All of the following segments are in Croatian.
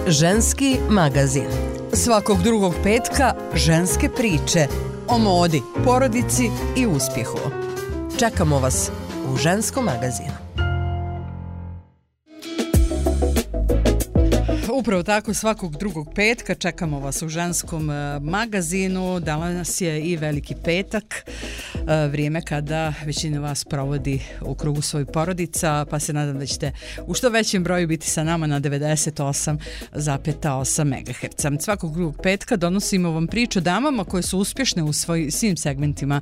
Ženski magazin. Svakog drugog petka ženske priče o modi, porodici i uspjehu. Čekamo vas u Ženskom magazinu. Upravo tako, svakog drugog petka čekamo vas u Ženskom magazinu. Danas je i Veliki petak, vrijeme kada većina vas provodi u krugu svojih porodica, pa se nadam da ćete u što većem broju biti sa nama na 98,8 MHz. Svakog drugog petka donosimo vam priču o damama koje su uspješne u svim segmentima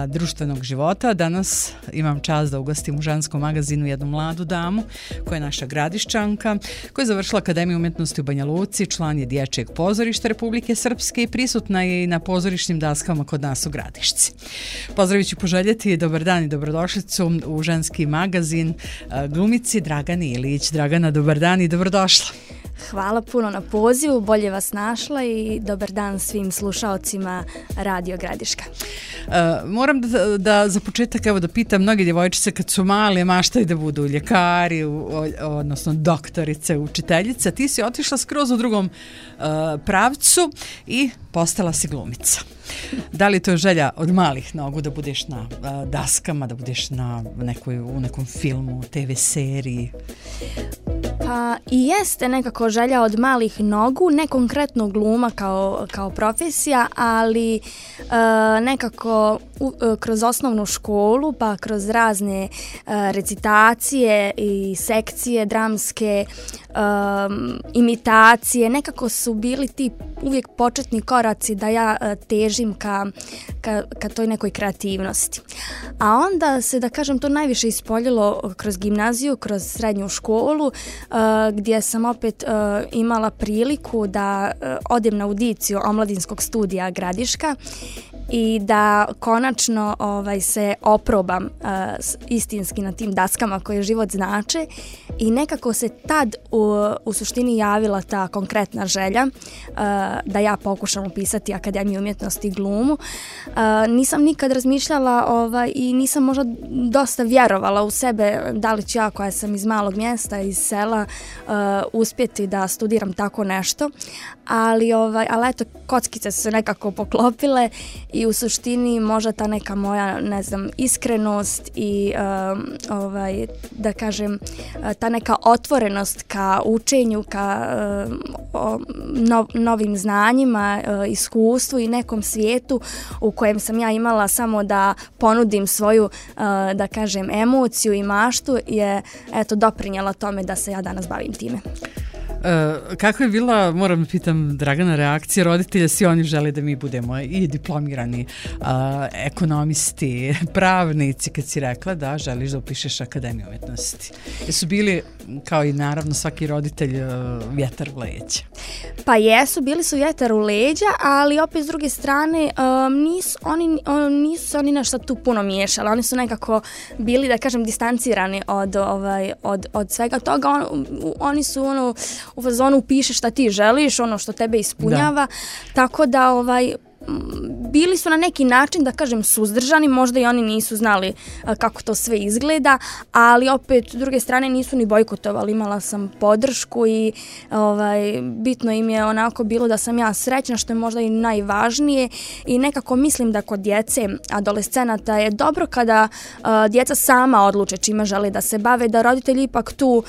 društvenog života. Danas imam čast da ugostim u Ženskom magazinu jednu mladu damu koja je naša Gradišćanka, koja je završila Akademiju umjetnosti u Banja Luci, član je Dječjeg pozorišta Republike Srpske i prisutna je i na pozorišnim daskama kod nas u Gradišci. Pozdravit ću poželjeti dobar dan i dobrodošlicu u Ženski magazin glumici Dragani Ilić. Dragana, dobar dan i dobrodošla. Hvala puno na pozivu, bolje vas našla i dobar dan svim slušaocima Radio Gradiška. Moram da za početak da pitam, mnoge djevojčice kad su male maštaju da budu ljekari, odnosno doktorice, učiteljice. Ti si otišla skroz u drugom pravcu i postala si glumica. Da li to je želja od malih nogu da budeš na daskama, da budeš u nekom filmu, TV seriji? Pa i jeste nekako želja od malih nogu, ne konkretno gluma kao profesija, ali nekako kroz osnovnu školu, pa kroz razne recitacije i sekcije dramske, imitacije, nekako su bili ti uvijek početni koraci da ja težim ka toj nekoj kreativnosti. A onda se, da kažem, to najviše ispoljilo kroz gimnaziju, kroz srednju školu, gdje sam opet imala priliku da odem na audiciju Omladinskog studija Gradiška i da konačno se oprobam istinski na tim daskama koje život znače i nekako se tad u suštini javila ta konkretna želja da ja pokušam upisati Akademiju umjetnosti i glumu. Nisam nikad razmišljala i nisam možda dosta vjerovala u sebe da li ću ja, koja sam iz malog mjesta, iz sela, uspjeti da studiram tako nešto, ali eto, kockice su se nekako poklopile i u suštini možda ta neka moja, iskrenost i da kažem ta neka otvorenost ka učenju, ka novim znanjima, iskustvu i nekom svijetu u kojem sam ja imala samo da ponudim svoju, da kažem, emociju i maštu je doprinjela tome da se ja danas bavim time. Kako je bila, moram pitam, Dragana, reakcija roditelja? Svi oni žele da mi budemo i diplomirani ekonomisti, pravnici, kad si rekla da želiš da upišeš Akademiju umjetnosti. Jesu bili, kao i naravno svaki roditelj, vjetar u leđa? Pa jesu, bili su vjetar u leđa, ali opet s druge strane nisu se oni nešto tu puno miješali. Oni su nekako bili, da kažem, distancirani od svega toga. Oni su u fazonu upišeš šta ti želiš, ono što tebe ispunjava, tako da bili su na neki način, da kažem, suzdržani, možda i oni nisu znali kako to sve izgleda, ali opet s druge strane nisu ni bojkotovali, imala sam podršku i bitno im je onako bilo da sam ja srećna, što je možda i najvažnije, i nekako mislim da kod djece, adolescenata je dobro kada djeca sama odluče čime žele da se bave, da roditelji ipak tu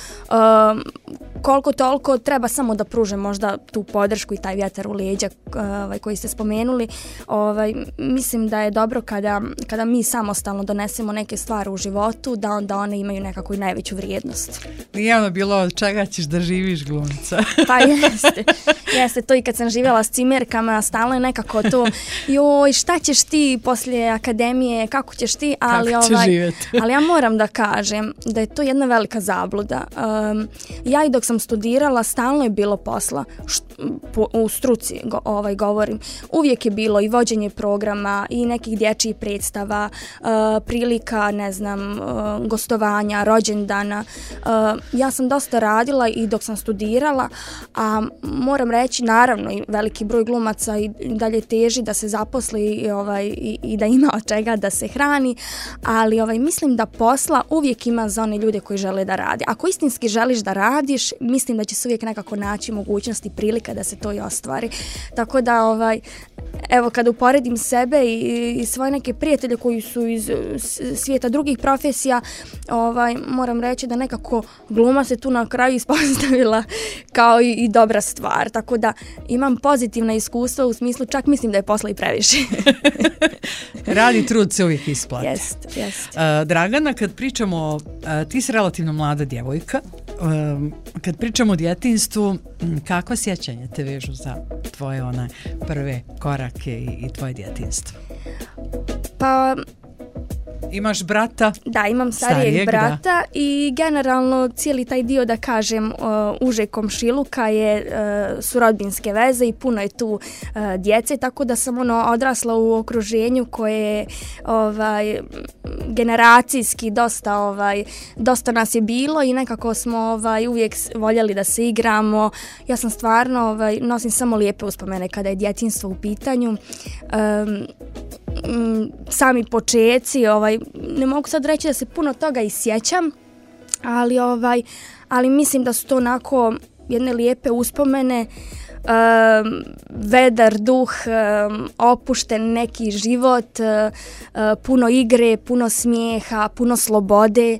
koliko toliko treba samo da pruže možda tu podršku i taj vjetar u leđa koji ste spomenuli. Mislim da je dobro kada mi samostalno donesemo neke stvari u životu, da onda one imaju nekako i najveću vrijednost. Nije ono bilo od čega ćeš da živiš, glumca? Pa jeste to, i kad sam živjela s cimerkama, stalno je nekako to, joj, šta ćeš ti poslije akademije, kako ćeš ti, ali ja moram da kažem da je to jedna velika zabluda. Ja i dok sam studirala, stalno je bilo posla, u struci govorim, uvijek je bilo i vođenje programa i nekih dječjih predstava, prilika, gostovanja, rođendana. Ja sam dosta radila i dok sam studirala, a moram reći, naravno, i veliki broj glumaca i dalje teži da se zaposli i da ima od čega da se hrani, ali mislim da posla uvijek ima za one ljude koji žele da rade. Ako istinski želiš da radiš, mislim da će se uvijek nekako naći mogućnosti i prilika da se to i ostvari. Tako da, evo, kada uporedim sebe i svoje neke prijatelje koji su iz svijeta drugih profesija, moram reći da nekako gluma se tu na kraju ispostavila kao i dobra stvar. Tako da imam pozitivna iskustva, u smislu čak mislim da je posla i previše. Radi trud se uvijek isplati. Jest. Dragana, kad pričamo, ti si relativno mlada djevojka, kad pričamo o djetinjstvu, kakva sjećanja te vežu za tvoje prve korake i tvoje djetinjstvo? Pa... Imaš brata? Da, imam starijeg brata i generalno cijeli taj dio, da kažem, uže komšiluka su rodbinske veze i puno je tu djece, tako da sam odrasla u okruženju koje je generacijski dosta nas je bilo i nekako smo uvijek voljeli da se igramo. Ja sam stvarno, nosim samo lijepe uspomene kada je djetinjstvo u pitanju. Sami počeci, ne mogu sad reći da se puno toga i sjećam, ali mislim da su to onako jedne lijepe uspomene, vedar duh, opušten neki život, puno igre, puno smijeha, puno slobode.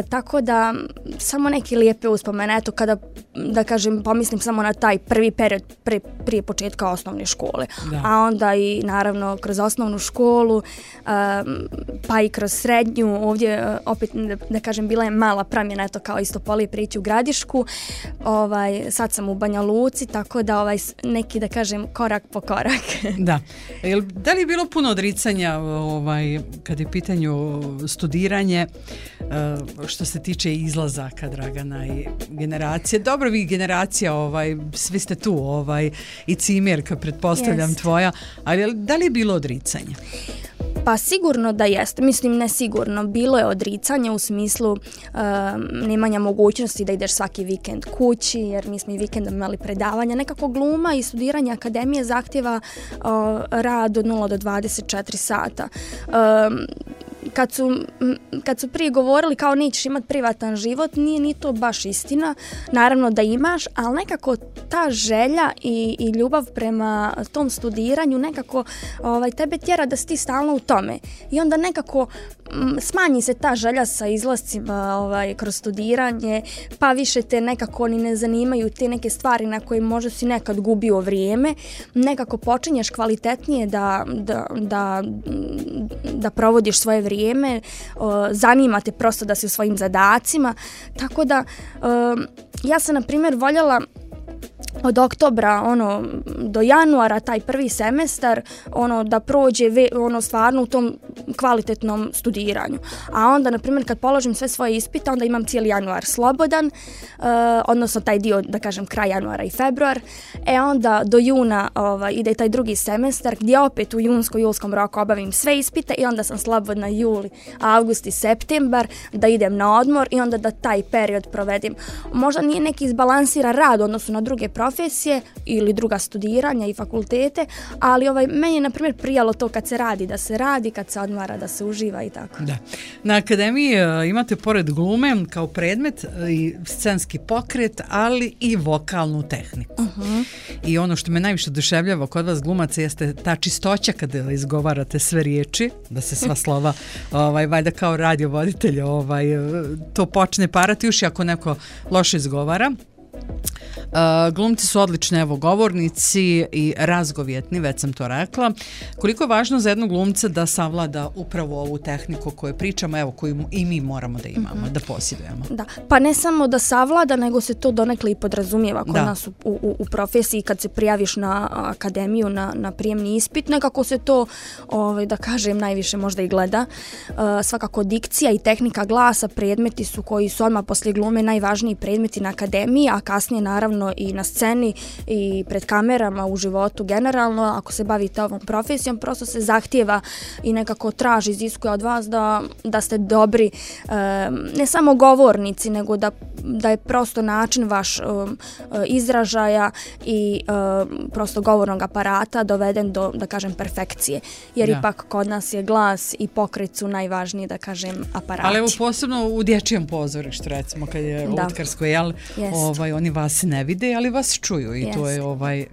Tako da samo neke lijepe uspomene, eto kada, da kažem, pomislim samo na taj prvi period prije početka osnovne škole, a onda i naravno kroz osnovnu školu, pa i kroz srednju, ovdje opet da kažem bila je mala promjena, eto kao isto Polije prići u Gradišku, sad sam u Banja Luci, tako da neki, da kažem, korak po korak. Da. Da li je bilo puno odricanja kad je pitanju studiranje, što se tiče izlazaka, Dragana, i generacije? Dobro, vi generacija, svi ste tu, i cimerka, pretpostavljam, tvoja, ali da li je bilo odricanje? Pa sigurno da jeste, mislim ne sigurno, bilo je odricanje u smislu nemanja mogućnosti da ideš svaki vikend kući, jer mi smo i vikendom imali predavanja. Nekako gluma i studiranje akademije zahtjeva rad od 0 do 24 sata. Kad su prije govorili kao nećeš imati privatan život, nije ni to baš istina. Naravno da imaš, ali nekako ta želja i ljubav prema tom studiranju nekako tebe tjera da si ti stalno u tome. I onda nekako smanji se ta želja sa izlascima kroz studiranje, pa više te nekako ni ne zanimaju te neke stvari na koje možda si nekad gubio vrijeme. Nekako počinješ kvalitetnije da provodiš svoje vrijeme, zanima te prosto da si u svojim zadacima, tako da ja sam na primjer voljela od oktobra do januara taj prvi semestar da prođe stvarno u tom kvalitetnom studiranju. A onda, na primjer, kad položim sve svoje ispite, onda imam cijeli januar slobodan, odnosno taj dio, da kažem, kraj januara i februar. Onda do juna ide taj drugi semestar gdje opet u junsko-julskom roku obavim sve ispite i onda sam slobodna juli, avgust i septembar da idem na odmor i onda da taj period provedim. Možda nije neki izbalansiran rad u odnosu na druge profesije ili druga studiranja i fakultete, ali meni je, na primjer, prijalo to kad se radi, da se radi, kad se odmara, da se uživa i tako. Da. Na akademiji imate pored glume kao predmet i scenski pokret, ali i vokalnu tehniku. Uh-huh. I ono što me najviše oduševljava kod vas glumaca jeste ta čistoća kada izgovarate sve riječi, da se sva slova valjda kao radiovoditelj to počne parati uši ako neko loše izgovara. Glumci su odlični govornici i razgovjetni, već sam to rekla. Koliko je važno za jednog glumca da savlada upravo ovu tehniku koju pričamo, koju i mi moramo da imamo, da posjedujemo? Da, pa ne samo da savlada, nego se to donekle i podrazumijeva kod nas u profesiji. Kad se prijaviš na akademiju, na prijemni ispit, nekako se to, da kažem, najviše možda i gleda. Svakako dikcija i tehnika glasa predmeti su koji su odmah poslije glume najvažniji predmeti na akademiji, a kasnije naravno naravno i na sceni i pred kamerama u životu generalno. Ako se bavite ovom profesijom, prosto se zahtijeva i nekako traži, iziskuje od vas da ste dobri, ne samo govornici, nego da je prosto način vaš izražaja i prosto govornog aparata doveden do, da kažem, perfekcije. Jer ipak kod nas je glas i pokret su najvažniji, da kažem, aparati. Ali evo posebno u dječjem pozorištu, recimo, kad je lutkarsko, jel? Oni vas ne vide, ali vas čuju i to je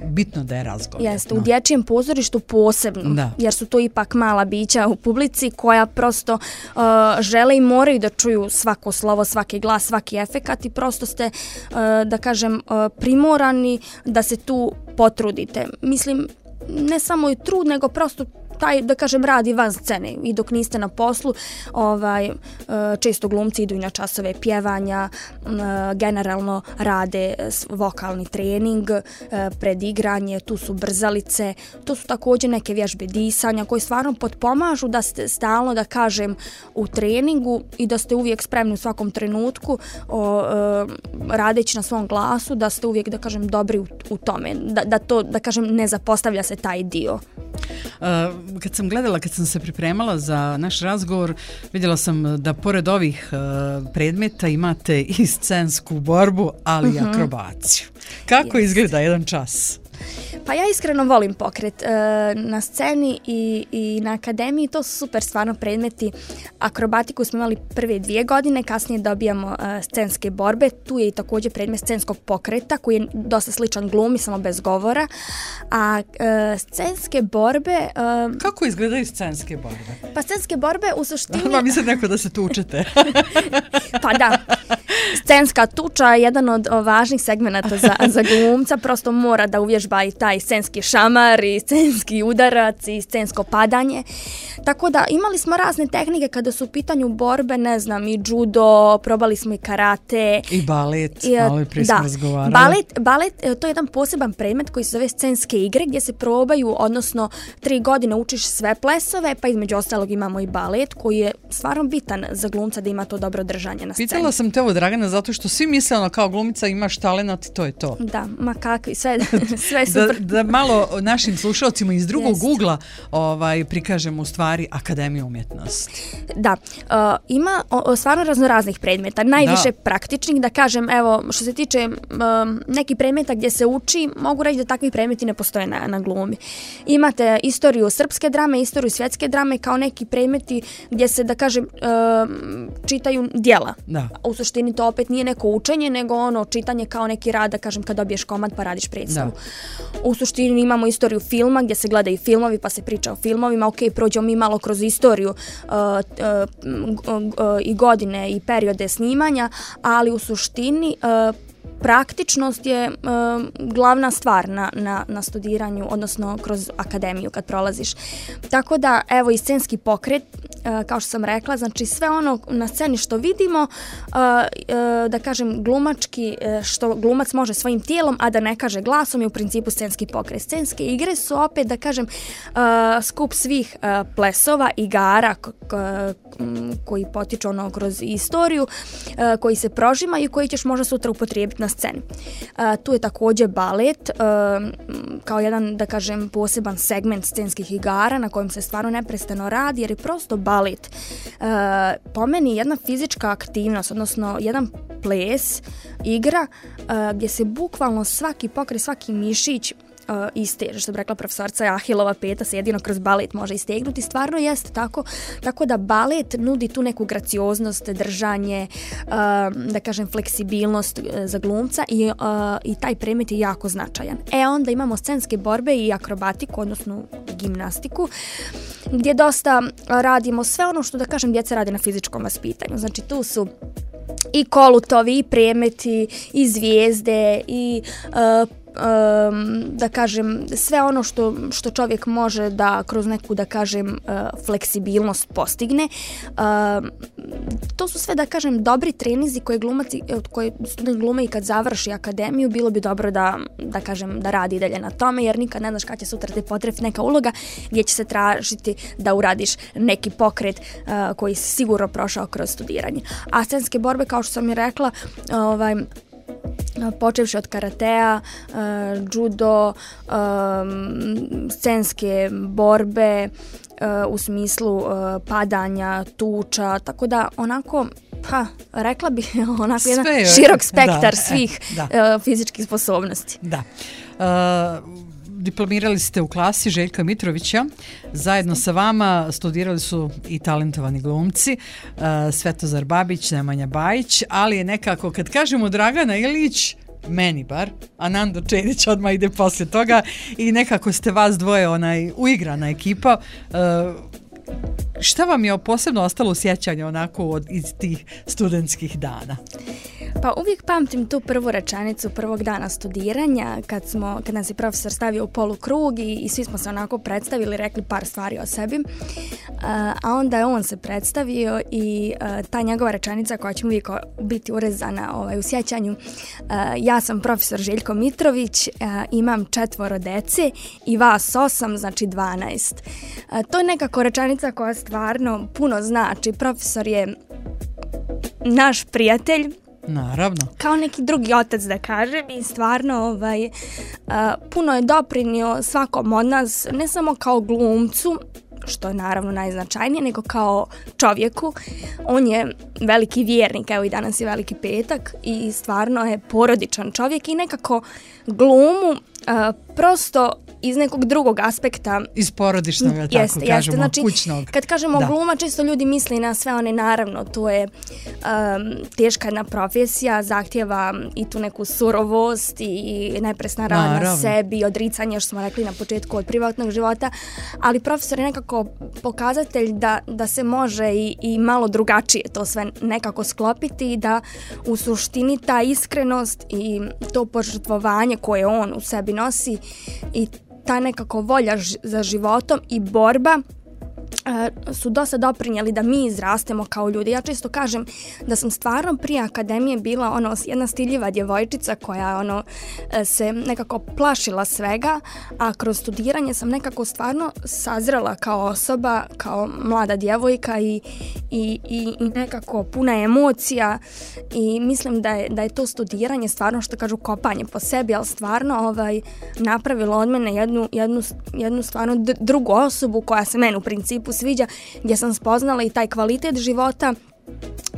bitno da je razgovor. Jeste, u dječjem pozorištu posebno, jer su to ipak mala bića u publici koja prosto žele i moraju da čuju svako slovo, svaki glas, svaki efekat i prosto ste, da kažem, primorani da se tu potrudite. Mislim, ne samo i trud, nego prosto taj, da kažem, radi van scene i dok niste na poslu, često glumci idu i na časove pjevanja, generalno rade vokalni trening, predigranje, tu su brzalice, tu su također neke vježbe disanja koje stvarno potpomažu da ste stalno, da kažem, u treningu i da ste uvijek spremni u svakom trenutku radeći na svom glasu, da ste uvijek, da kažem, dobri u tome, da to, da kažem, ne zapostavlja se taj dio. Kad sam se pripremala za naš razgovor, vidjela sam da pored ovih predmeta imate i scensku borbu, ali i akrobaciju. Kako izgleda jedan čas? Pa ja iskreno volim pokret na sceni i na akademiji, to su super stvarno predmeti. Akrobatiku smo imali prve 2 godine, kasnije dobijamo scenske borbe, tu je i također predmet scenskog pokreta koji je dosta sličan glumi, samo bez govora, a scenske borbe... Kako izgledaju scenske borbe? Pa scenske borbe u suštini... Mislim neko da se tučete. Pa da, scenska tuča je jedan od važnih segmenata za glumca, prosto mora da uvježba i taj scenski šamar i scenski udarac i scensko padanje. Tako da imali smo razne tehnike kada su u pitanju borbe, ne znam, i judo, probali smo i karate. I balet, malo i prije smo razgovarali. Balet, to je jedan poseban predmet koji se zove scenske igre gdje se probaju, odnosno 3 godine učiš sve plesove, pa između ostalog imamo i balet koji je stvarno bitan za glumca da ima to dobro držanje na sceni. Pitala sam te ovo, Dragana, zato što svi misle kao glumica imaš talenat i to je to. Da, ma kakvi, sve super. Da malo našim slušalcima iz drugog ugla prikažemo u stvari Akademiju umjetnosti. Da, ima stvarno raznoraznih predmeta, najviše praktičnih, da kažem, evo, što se tiče nekih predmeta gdje se uči, mogu reći da takvi predmeti ne postoje na glumi. Imate istoriju srpske drame, istoriju svjetske drame kao neki predmeti gdje se, da kažem, čitaju djela. Da. U suštini to opet nije neko učenje, nego čitanje kao neki rad, da kažem, kad dobiješ komad pa radiš predstavu. U suštini imamo istoriju filma gdje se gledaju filmovi pa se priča o filmovima. Ok, prođemo mi malo kroz istoriju i godine i periode snimanja, ali u suštini praktičnost je glavna stvar na studiranju, odnosno kroz akademiju kad prolaziš. Tako da, evo, i scenski pokret, kao što sam rekla, znači sve ono na sceni što vidimo, da kažem glumački, što glumac može svojim tijelom, a da ne kaže glasom, je u principu scenski pokret. Scenske igre su opet, da kažem, skup svih plesova, igara koji potiču kroz istoriju, koji se prožimaju i koji ćeš možda sutra upotrijebiti na sceni. Tu je također balet kao jedan, da kažem, poseban segment scenskih igara na kojem se stvarno neprestano radi, jer je prosto balet po meni jedna fizička aktivnost, odnosno jedan ples, igra gdje se bukvalno svaki pokret, svaki mišić isteže, što bi rekla profesorca, Ahilova peta se jedino kroz balet može istegnuti. Stvarno jeste tako da balet nudi tu neku gracioznost, držanje, da kažem fleksibilnost za glumca i taj predmet je jako značajan. Onda imamo scenske borbe i akrobatiku, odnosno gimnastiku, gdje dosta radimo sve ono što, da kažem, djeca radi na fizičkom vaspitanju. Znači tu su i kolutovi, i predmeti, i zvijezde, i da kažem sve ono što čovjek može da kroz neku, da kažem, fleksibilnost postigne. To su sve, da kažem, dobri trenizi koje student glume i kad završi akademiju, bilo bi dobro da kažem, da radi dalje na tome, jer nikad ne znaš kad će sutra te potrefiti neka uloga gdje će se tražiti da uradiš neki pokret koji si sigurno prošao kroz studiranje. A scenske borbe, kao što sam i rekla, počevši od karatea, judo, scenske borbe, u smislu padanja, tuča, tako da onako, rekla bih onako jedan širok spektar svih fizičkih sposobnosti. Da. Diplomirali ste u klasi Željka Mitrovića, zajedno sa vama studirali su i talentovani glumci, Svetozar Babić, Nemanja Bajić, ali je nekako, kad kažemo Dragana Ilić, meni bar, a Nando Čedić odmah ide poslije toga i nekako ste vas dvoje uigrana ekipa. Šta vam je posebno ostalo u sjećanju onako iz tih studentskih dana? Pa uvijek pamtim tu prvu rečenicu prvog dana studiranja kad nas je profesor stavio u polukrug i svi smo se onako predstavili, rekli par stvari o sebi, a onda je on se predstavio i ta njegova rečenica koja će uvijek biti urezana u sjećanju, ja sam profesor Željko Mitrović, imam 4 dece i vas 8, znači 12. To je nekako rečenica koja stvarno puno znači. Profesor je naš prijatelj, naravno, kao neki drugi otac da kažem, i stvarno puno je doprinio svakom od nas, ne samo kao glumcu, što je naravno najznačajnije, nego kao čovjeku. On je veliki vjernik, evo i danas je Veliki petak, i stvarno je porodičan čovjek i nekako glumu prosto iz nekog drugog aspekta. Iz porodičnog, tako kažemo, znači, kućnog. Kad kažemo gluma, često ljudi misli na sve one, naravno, to je teška jedna profesija, zahtjeva i tu neku surovost i nepresna rad na sebi, odricanje, što smo rekli na početku, od privatnog života, ali profesor je nekako pokazatelj da se može i malo drugačije to sve nekako sklopiti i da u suštini ta iskrenost i to požrtvovanje koje on u sebi nosi i ta nekako volja za životom i borba su dosta doprinijeli da mi izrastemo kao ljudi. Ja često kažem da sam stvarno prije akademije bila jedna stiljiva djevojčica koja se nekako plašila svega, a kroz studiranje sam nekako stvarno sazrela kao osoba, kao mlada djevojka i nekako puna emocija, i mislim da je to studiranje stvarno, što kažu, kopanje po sebi, ali stvarno napravilo od mene jednu stvarno drugu osobu koja se meni u principu sviđa, gdje sam spoznala i taj kvalitet života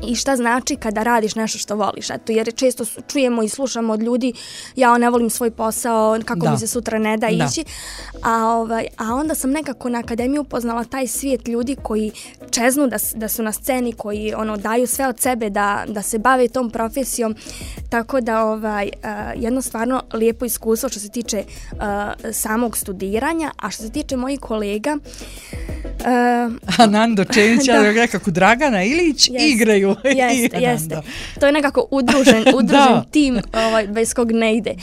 i šta znači kada radiš nešto što voliš. Eto, jer često čujemo i slušamo od ljudi, ja ne volim svoj posao, kako mi se sutra ne da ići. A onda sam nekako na akademiji upoznala taj svijet ljudi koji čeznu da su na sceni, koji daju sve od sebe da se bave tom profesijom. Tako da jedno stvarno lijepo iskustvo što se tiče samog studiranja, a što se tiče mojih kolega, Nando Čenić, ja nekako Dragana Ilić igraju. Jeste. To je nekako udružen tim bez kog ne ide.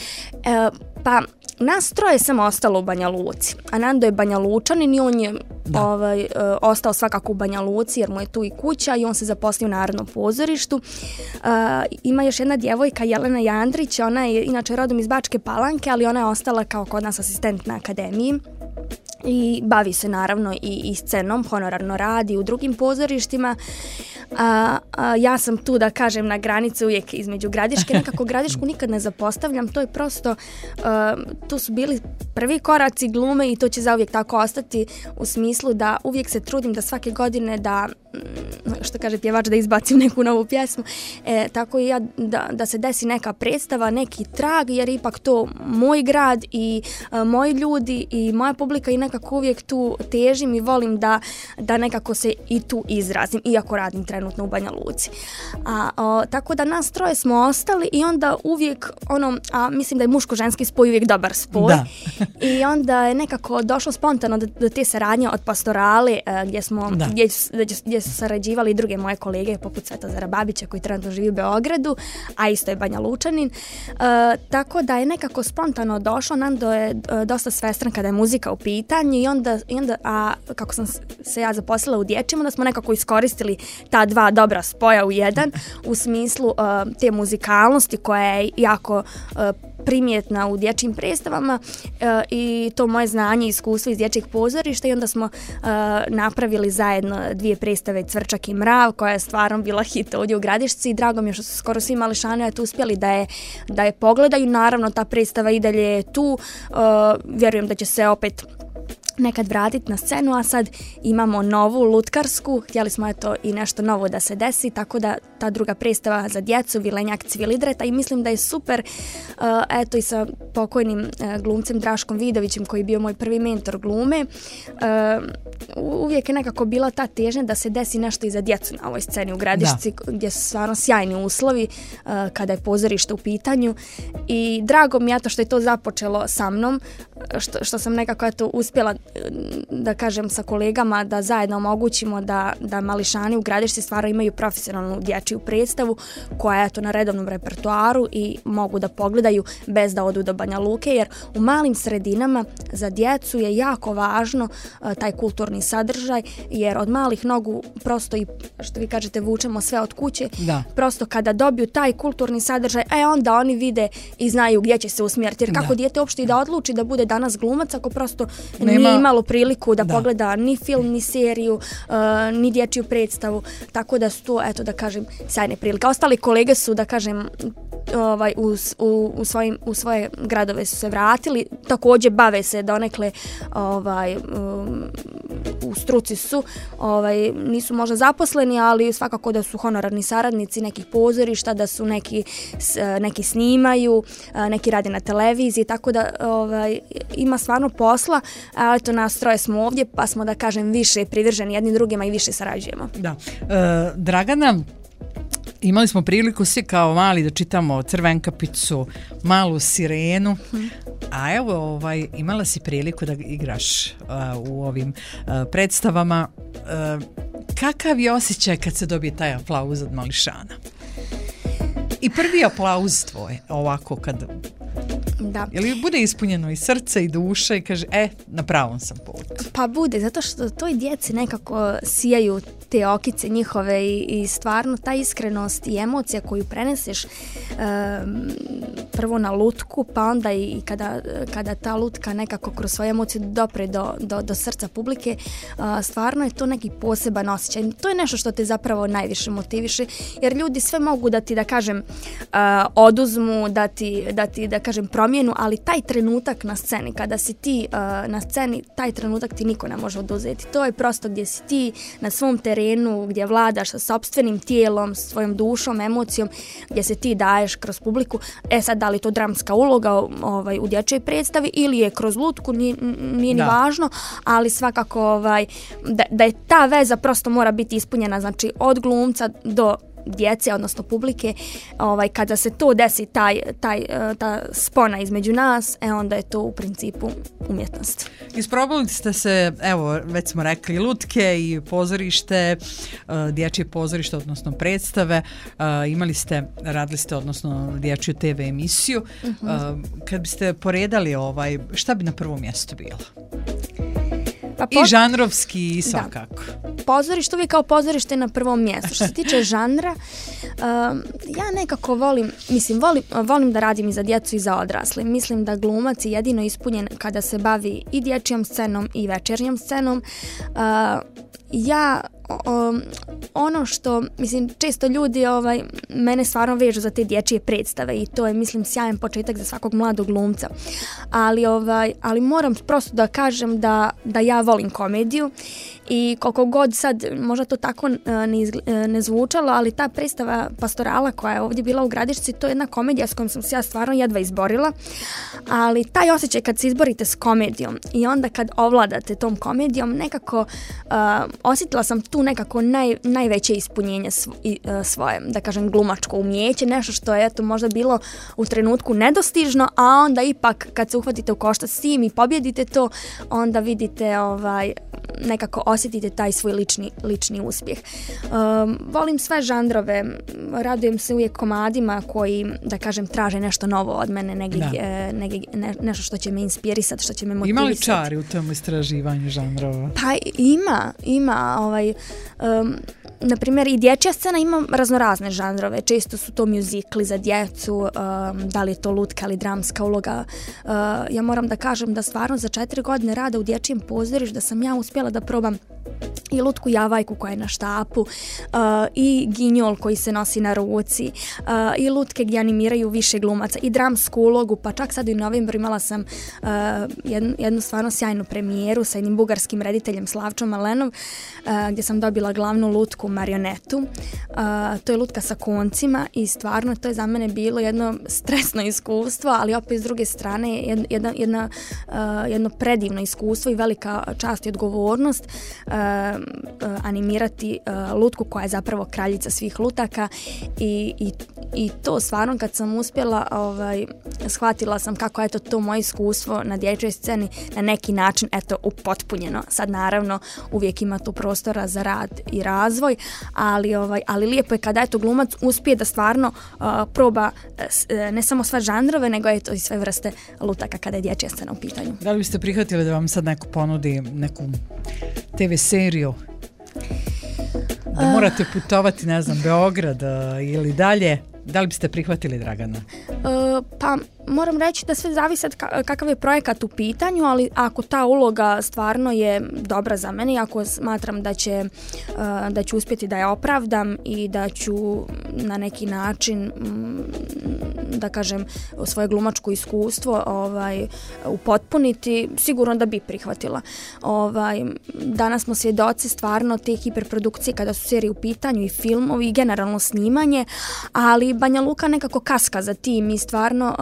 Pa nas troje samo ostalo u Banja Luci, a Nando je Banja Lučanin i on je ostao svakako u Banja Luci jer mu je tu i kuća i on se zaposlio u Narodnom pozorištu. Ima još jedna djevojka, Jelena Jandrić, ona je inače rodom iz Bačke Palanke, ali ona je ostala kao kod nas asistent na akademiji i bavi se naravno i scenom, honorarno radi u drugim pozorištima. Ja sam tu, da kažem, na granici uvijek između Gradiške, nekako Gradišku nikad ne zapostavljam, to je prosto, tu su bili prvi koraci glume i to će zauvijek tako ostati, u smislu da uvijek se trudim da svake godine da, što kaže pjevač, da izbacim neku novu pjesmu, tako i ja da se desi neka predstava, neki trag, jer ipak to moj grad i moji ljudi i moja publika i nekako uvijek tu težim i volim da nekako se i tu izrazim, iako radim trenutno u Banja Luci. Tako da nas troje smo ostali i onda uvijek a mislim da je muško-ženski spoj uvijek dobar spoj. I onda je nekako došlo spontano do te saradnje od Pastorale gdje su sarađivali i druge moje kolege poput Svetozara Babića koji trenutno živi u Beogradu, a isto je Banja Lučanin. Tako da je nekako spontano došlo. Nando je dosta svestran kada je muzika u pitanju i onda kako sam se ja zaposlila u dječjem, onda smo nekako iskoristili ta dva dobra spoja u jedan u smislu te muzikalnosti koja je jako primjetna u dječjim predstavama i to moje znanje i iskustvo iz dječjeg pozorišta i onda smo napravili zajedno 2 predstave Cvrčak i mrav koja je stvarno bila hit ovdje u Gradišci i drago mi je što su skoro svi mališani uspjeli da je pogledaju. Naravno ta predstava i dalje je tu, vjerujem da će se opet nekad vratiti na scenu, a sad imamo novu lutkarsku, htjeli smo i nešto novo da se desi, tako da ta druga predstava za djecu, Vilenjak Cvilidreta i mislim da je super, i sa pokojnim glumcem Draškom Vidovićem koji je bio moj prvi mentor glume, uvijek je nekako bila ta težnja da se desi nešto i za djecu na ovoj sceni u Gradišci, gdje su stvarno sjajni uslovi kada je pozorište u pitanju i drago mi je što je to započelo sa mnom, što sam nekako uspjela da kažem sa kolegama da zajedno omogućimo da mališani u Gradišci stvarno imaju profesionalnu dječju predstavu koja je na redovnom repertoaru i mogu da pogledaju bez da odu do Banja Luke, jer u malim sredinama za djecu je jako važno taj kulturni sadržaj, jer od malih nogu prosto i što vi kažete vučemo sve od kuće, prosto kada dobiju taj kulturni sadržaj, onda oni vide i znaju gdje će se usmjeriti, jer kako dijete uopšte i da odluči da bude danas glumac ako prosto nije imalo priliku da pogleda ni film, ni seriju, ni dječju predstavu, tako da su to, da kažem, sjajne prilike. Ostali kolege su, da kažem, u svoje gradove su se vratili, također bave se donekle u struci su, nisu možda zaposleni, ali svakako da su honorarni saradnici nekih pozorišta, da su neki snimaju, neki rade na televiziji, tako da ima stvarno posla, ali nas troje smo ovdje, pa smo, da kažem, više privrženi jednim drugima i više sarađujemo. Da. Dragana, imali smo priliku svi kao mali da čitamo Crvenkapicu, Malu sirenu, a evo imala si priliku da igraš u ovim predstavama. Kakav je osjećaj kad se dobije taj aplauz od mališana? I prvi aplauz tvoj, ovako kad... Da. Ili bude ispunjeno i srce i duša i kaže, na pravom sam putu? Pa bude, zato što toj djeci nekako sijaju te okice njihove i stvarno ta iskrenost i emocija koju preneseš prvo na lutku, pa onda i kada ta lutka nekako kroz svoje emocije dopre do srca publike, stvarno je to neki poseban osjećaj. To je nešto što te zapravo najviše motiviše, jer ljudi sve mogu da ti, da kažem, oduzmu, da ti, da kažem, promjenu, ali taj trenutak na sceni, kada si ti na sceni, taj trenutak ti niko ne može oduzeti. To je prosto gdje si ti na svom terenu, gdje vladaš sa sopstvenim tijelom, svojom dušom, emocijom, gdje se ti daješ kroz publiku. Sad, da li to dramska uloga u dječjoj predstavi ili je kroz lutku, nije ni važno, ali svakako da je ta veza prosto mora biti ispunjena, znači od glumca do djece, odnosno publike, kada se to desi, ta spona između nas, onda je to u principu umjetnost. Isprobali ste se, evo, već smo rekli, lutke i pozorište, dječje pozorište, odnosno predstave, radili ste, odnosno dječju TV emisiju. Kad biste poredali šta bi na prvom mjestu bilo? I žanrovski i svakako. Pozorište, uvijek kao pozorište na prvom mjestu. Što se tiče žanra, ja nekako volim da radim i za djecu i za odrasle. Mislim da glumac je jedino ispunjen kada se bavi i dječjom scenom i večernjom scenom. Ono što, često ljudi mene stvarno vežu za te dječje predstave i to je, sjajan početak za svakog mladog glumca. Ali moram prosto da kažem da ja volim komediju i koliko god sad možda to tako ne zvučalo, ali ta predstava Pastorala koja je ovdje bila u Gradišci, to je jedna komedija s kojom sam se ja stvarno jedva izborila, ali taj osjećaj kad se izborite s komedijom i onda kad ovladate tom komedijom, nekako osjetila sam tu nekako najveće ispunjenje svoje, da kažem, glumačko umjeće, nešto što je možda bilo u trenutku nedostižno, a onda ipak kad se uhvatite u koštac s tim i pobjedite to, onda vidite nekako osjetite taj svoj lični uspjeh. Volim sve žanrove, radujem se uvijek komadima koji, da kažem, traže nešto novo od mene, nešto što će me inspirisati, što će me motivisati. Ima li čari u tom istraživanju žanrova? Pa ima. na primjer, i dječja scena ima raznorazne žanrove. Često su to mjuzikli za djecu, da li je to lutka ili dramska uloga. Ja moram da kažem da stvarno za 4 godine rada u dječjem pozorištu da sam ja uspjela da probam i lutku Javajku koja je na štapu, i Ginjol koji se nosi na ruci, i lutke gdje animiraju više glumaca, i dramsku ulogu, pa čak sad u novembru imala sam jednu stvarno sjajnu premijeru sa jednim bugarskim rediteljem Slavčom Malenov, gdje sam dobila glavnu lutku marionetu. To je lutka sa koncima i stvarno to je za mene bilo jedno stresno iskustvo, ali opet s druge strane jedno predivno iskustvo i velika čast i odgovornost animirati lutku koja je zapravo kraljica svih lutaka i to stvarno kad sam uspjela shvatila sam kako je to moje iskustvo na dječjoj sceni na neki način upotpunjeno. Sad naravno uvijek ima tu prostora za rad i razvoj, ali lijepo je kada glumac uspije da stvarno proba ne samo sve žanrove, nego i sve vrste lutaka kada je dječja scena u pitanju. Da li biste prihvatili da vam sad neko ponudi neku TV seriju? Da morate putovati, ne znam, Beograd ili dalje? Da li biste prihvatili, Dragana? Pa moram reći da sve zavisi kakav je projekat u pitanju, ali ako ta uloga stvarno je dobra za mene, ako smatram da ću uspjeti da je opravdam i da ću na neki način da kažem svoje glumačko iskustvo upotpuniti, sigurno da bi prihvatila. Danas smo svjedoci stvarno te hiperprodukcije kada su serije u pitanju i filmovi i generalno snimanje, ali Banja Luka nekako kaska za tim i stvarno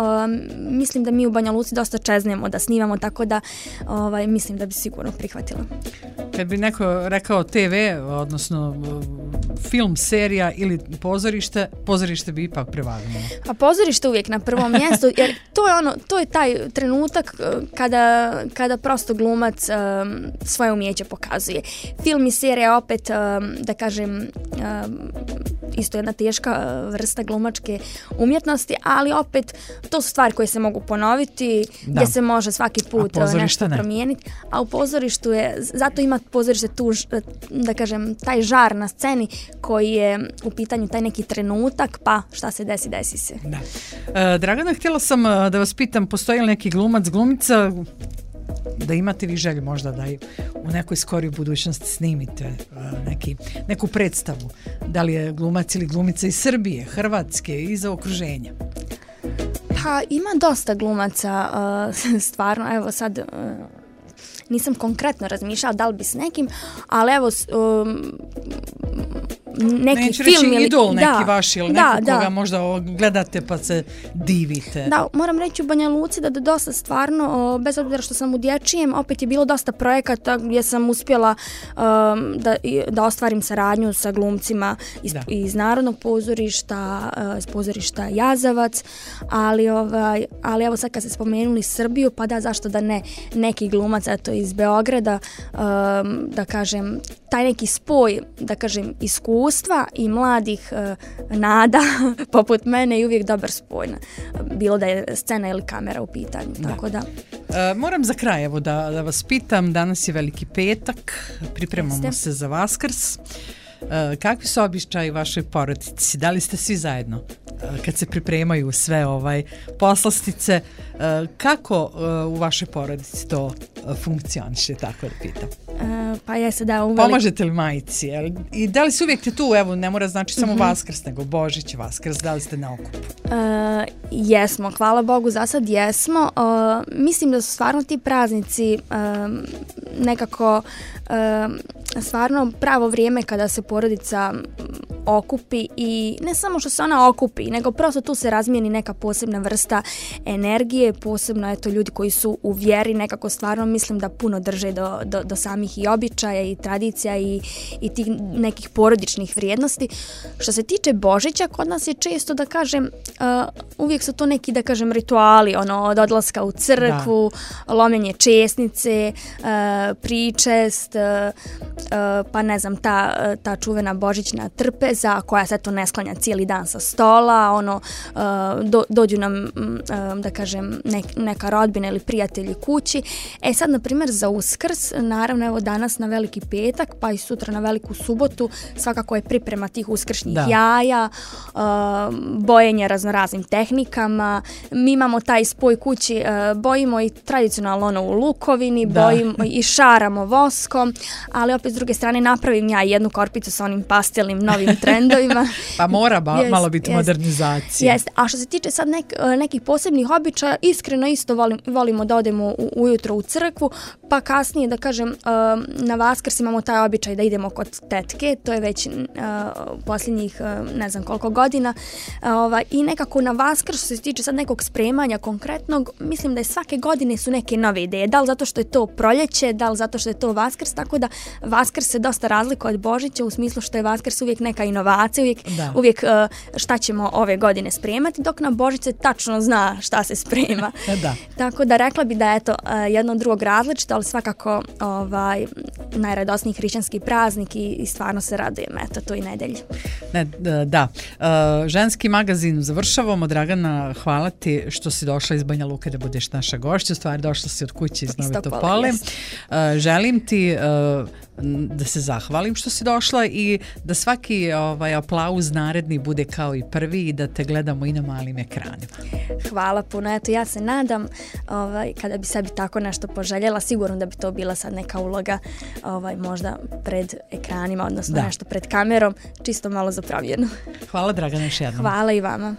mislim da mi u Banja Luci dosta čeznemo da snimamo, tako da mislim da bi sigurno prihvatila. Kad bi neko rekao TV, odnosno film, serija ili pozorište bi ipak prevagnulo. A pozorište uvijek na prvom mjestu, jer to je taj trenutak kada prosto glumac svoje umijeće pokazuje. Film i serija opet, da kažem, isto jedna teška vrsta glumačke umjetnosti, ali opet to su stvari koje se mogu ponoviti, gdje se može svaki put nešto promijeniti, a u pozorištu zato ima pozorište tu, da kažem, taj žar na sceni koji je u pitanju taj neki trenutak, pa šta se desi se. Da. Dragana, htjela sam da vas pitam, postoji li neki glumac, glumica da imate vi želju možda da u nekoj skorijoj budućnosti snimite neku predstavu, da li je glumac ili glumica iz Srbije, Hrvatske, iz okruženja? Pa ima dosta glumaca, stvarno, evo sad nisam konkretno razmišljala da li bi s nekim, ali evo neki neću film reći idol neki vaš ili neko koga možda gledate pa se divite. Da, moram reći u Banja Luci da dosta stvarno, bez obzira što sam u dječjem, opet je bilo dosta projekata gdje sam uspjela da ostvarim saradnju sa glumcima iz Narodnog pozorišta, iz pozorišta Jazavac, ali evo sad kad ste spomenuli Srbiju, pa da, zašto da ne neki glumac iz Beograda, da kažem, taj neki spoj, da kažem, iskustva i mladih nada poput mene je uvijek dobar spoj, bilo da je scena ili kamera u pitanju. Tako da. Moram za kraj evo da vas pitam, danas je Veliki petak, pripremamo se za Vaskrs. Kakvi su običaji vašoj porodici? Da li ste svi zajedno kad se pripremaju sve poslastice? Kako u vašoj porodici to funkcioniše, tako da pitam? Pa jeste da Pomažete li majici? I da li se uvijek te tu, evo ne mora znači samo Vaskrs, nego Božić, Vaskrs, da li ste na okupu? Jesmo, hvala Bogu, za sad jesmo. Mislim da su stvarno ti praznici nekako stvarno pravo vrijeme kada se porodica okupi i ne samo što se ona okupi, nego prosto tu se razmijeni neka posebna vrsta energije, posebno ljudi koji su u vjeri, nekako stvarno mislim da puno drže do samih i običaja i tradicija i tih nekih porodičnih vrijednosti. Što se tiče Božića, kod nas je često, da kažem, uvijek su to neki, da kažem, rituali, od odlaska u crkvu, lomljenje česnice, pričest, pa ne znam, ta čuvena božićna trpeza, trpeza koja se to ne sklanja cijeli dan sa stola, ono, dođu nam, da kažem, neka rodbina ili prijatelji kući. Sad, na primjer, za Uskrs, naravno, evo danas na Veliki petak, pa i sutra na Veliku subotu, svakako je priprema tih uskršnjih jaja, bojenje raznoraznim tehnikama. Mi imamo taj spoj kući, bojimo i tradicionalno ono u lukovini, bojimo i šaramo voskom, ali opet s druge strane napravim ja jednu korpicu sa onim pastelnim novim trendovima. Pa mora malo biti modernizacija. Jest. A što se tiče sad nekih posebnih običaja, iskreno isto volimo da odemo ujutro u crkvu, pa kasnije, da kažem, na Vaskrs imamo taj običaj da idemo kod tetke, to je već posljednjih ne znam koliko godina, i nekako na Vaskrs, što se tiče sad nekog spremanja konkretnog, mislim da je svake godine su neke nove ideje, da li zato što je to proljeće, da li zato što je to Vaskrs, tako da Vaskrs se dosta razlikuje od Božića u smislu što je Vaskrs uvijek neka inovacija, uvijek šta ćemo ove godine spremati, dok na Božić se tačno zna šta se sprema. Tako da rekla bi da je to jedno od drugog različito, ali svakako najradosniji hrišćanski praznik i stvarno se radujem toj nedelji. Ženski magazin završavamo. Dragana, hvala ti što si došla iz Banja Luke da budeš naša gošća. U stvari došla si od kuće iz Nove Topole. Želim ti da se zahvalim što si došla i da svaki aplauz naredni bude kao i prvi i da te gledamo i na malim ekranima. Hvala puno. Eto, ja se nadam kada bi sebi tako nešto poželjela, sigurno da bi to bila sad neka uloga možda pred ekranima, odnosno nešto pred kamerom, čisto malo zapravljeno. Hvala, Dragana, još jednom. Hvala i vama.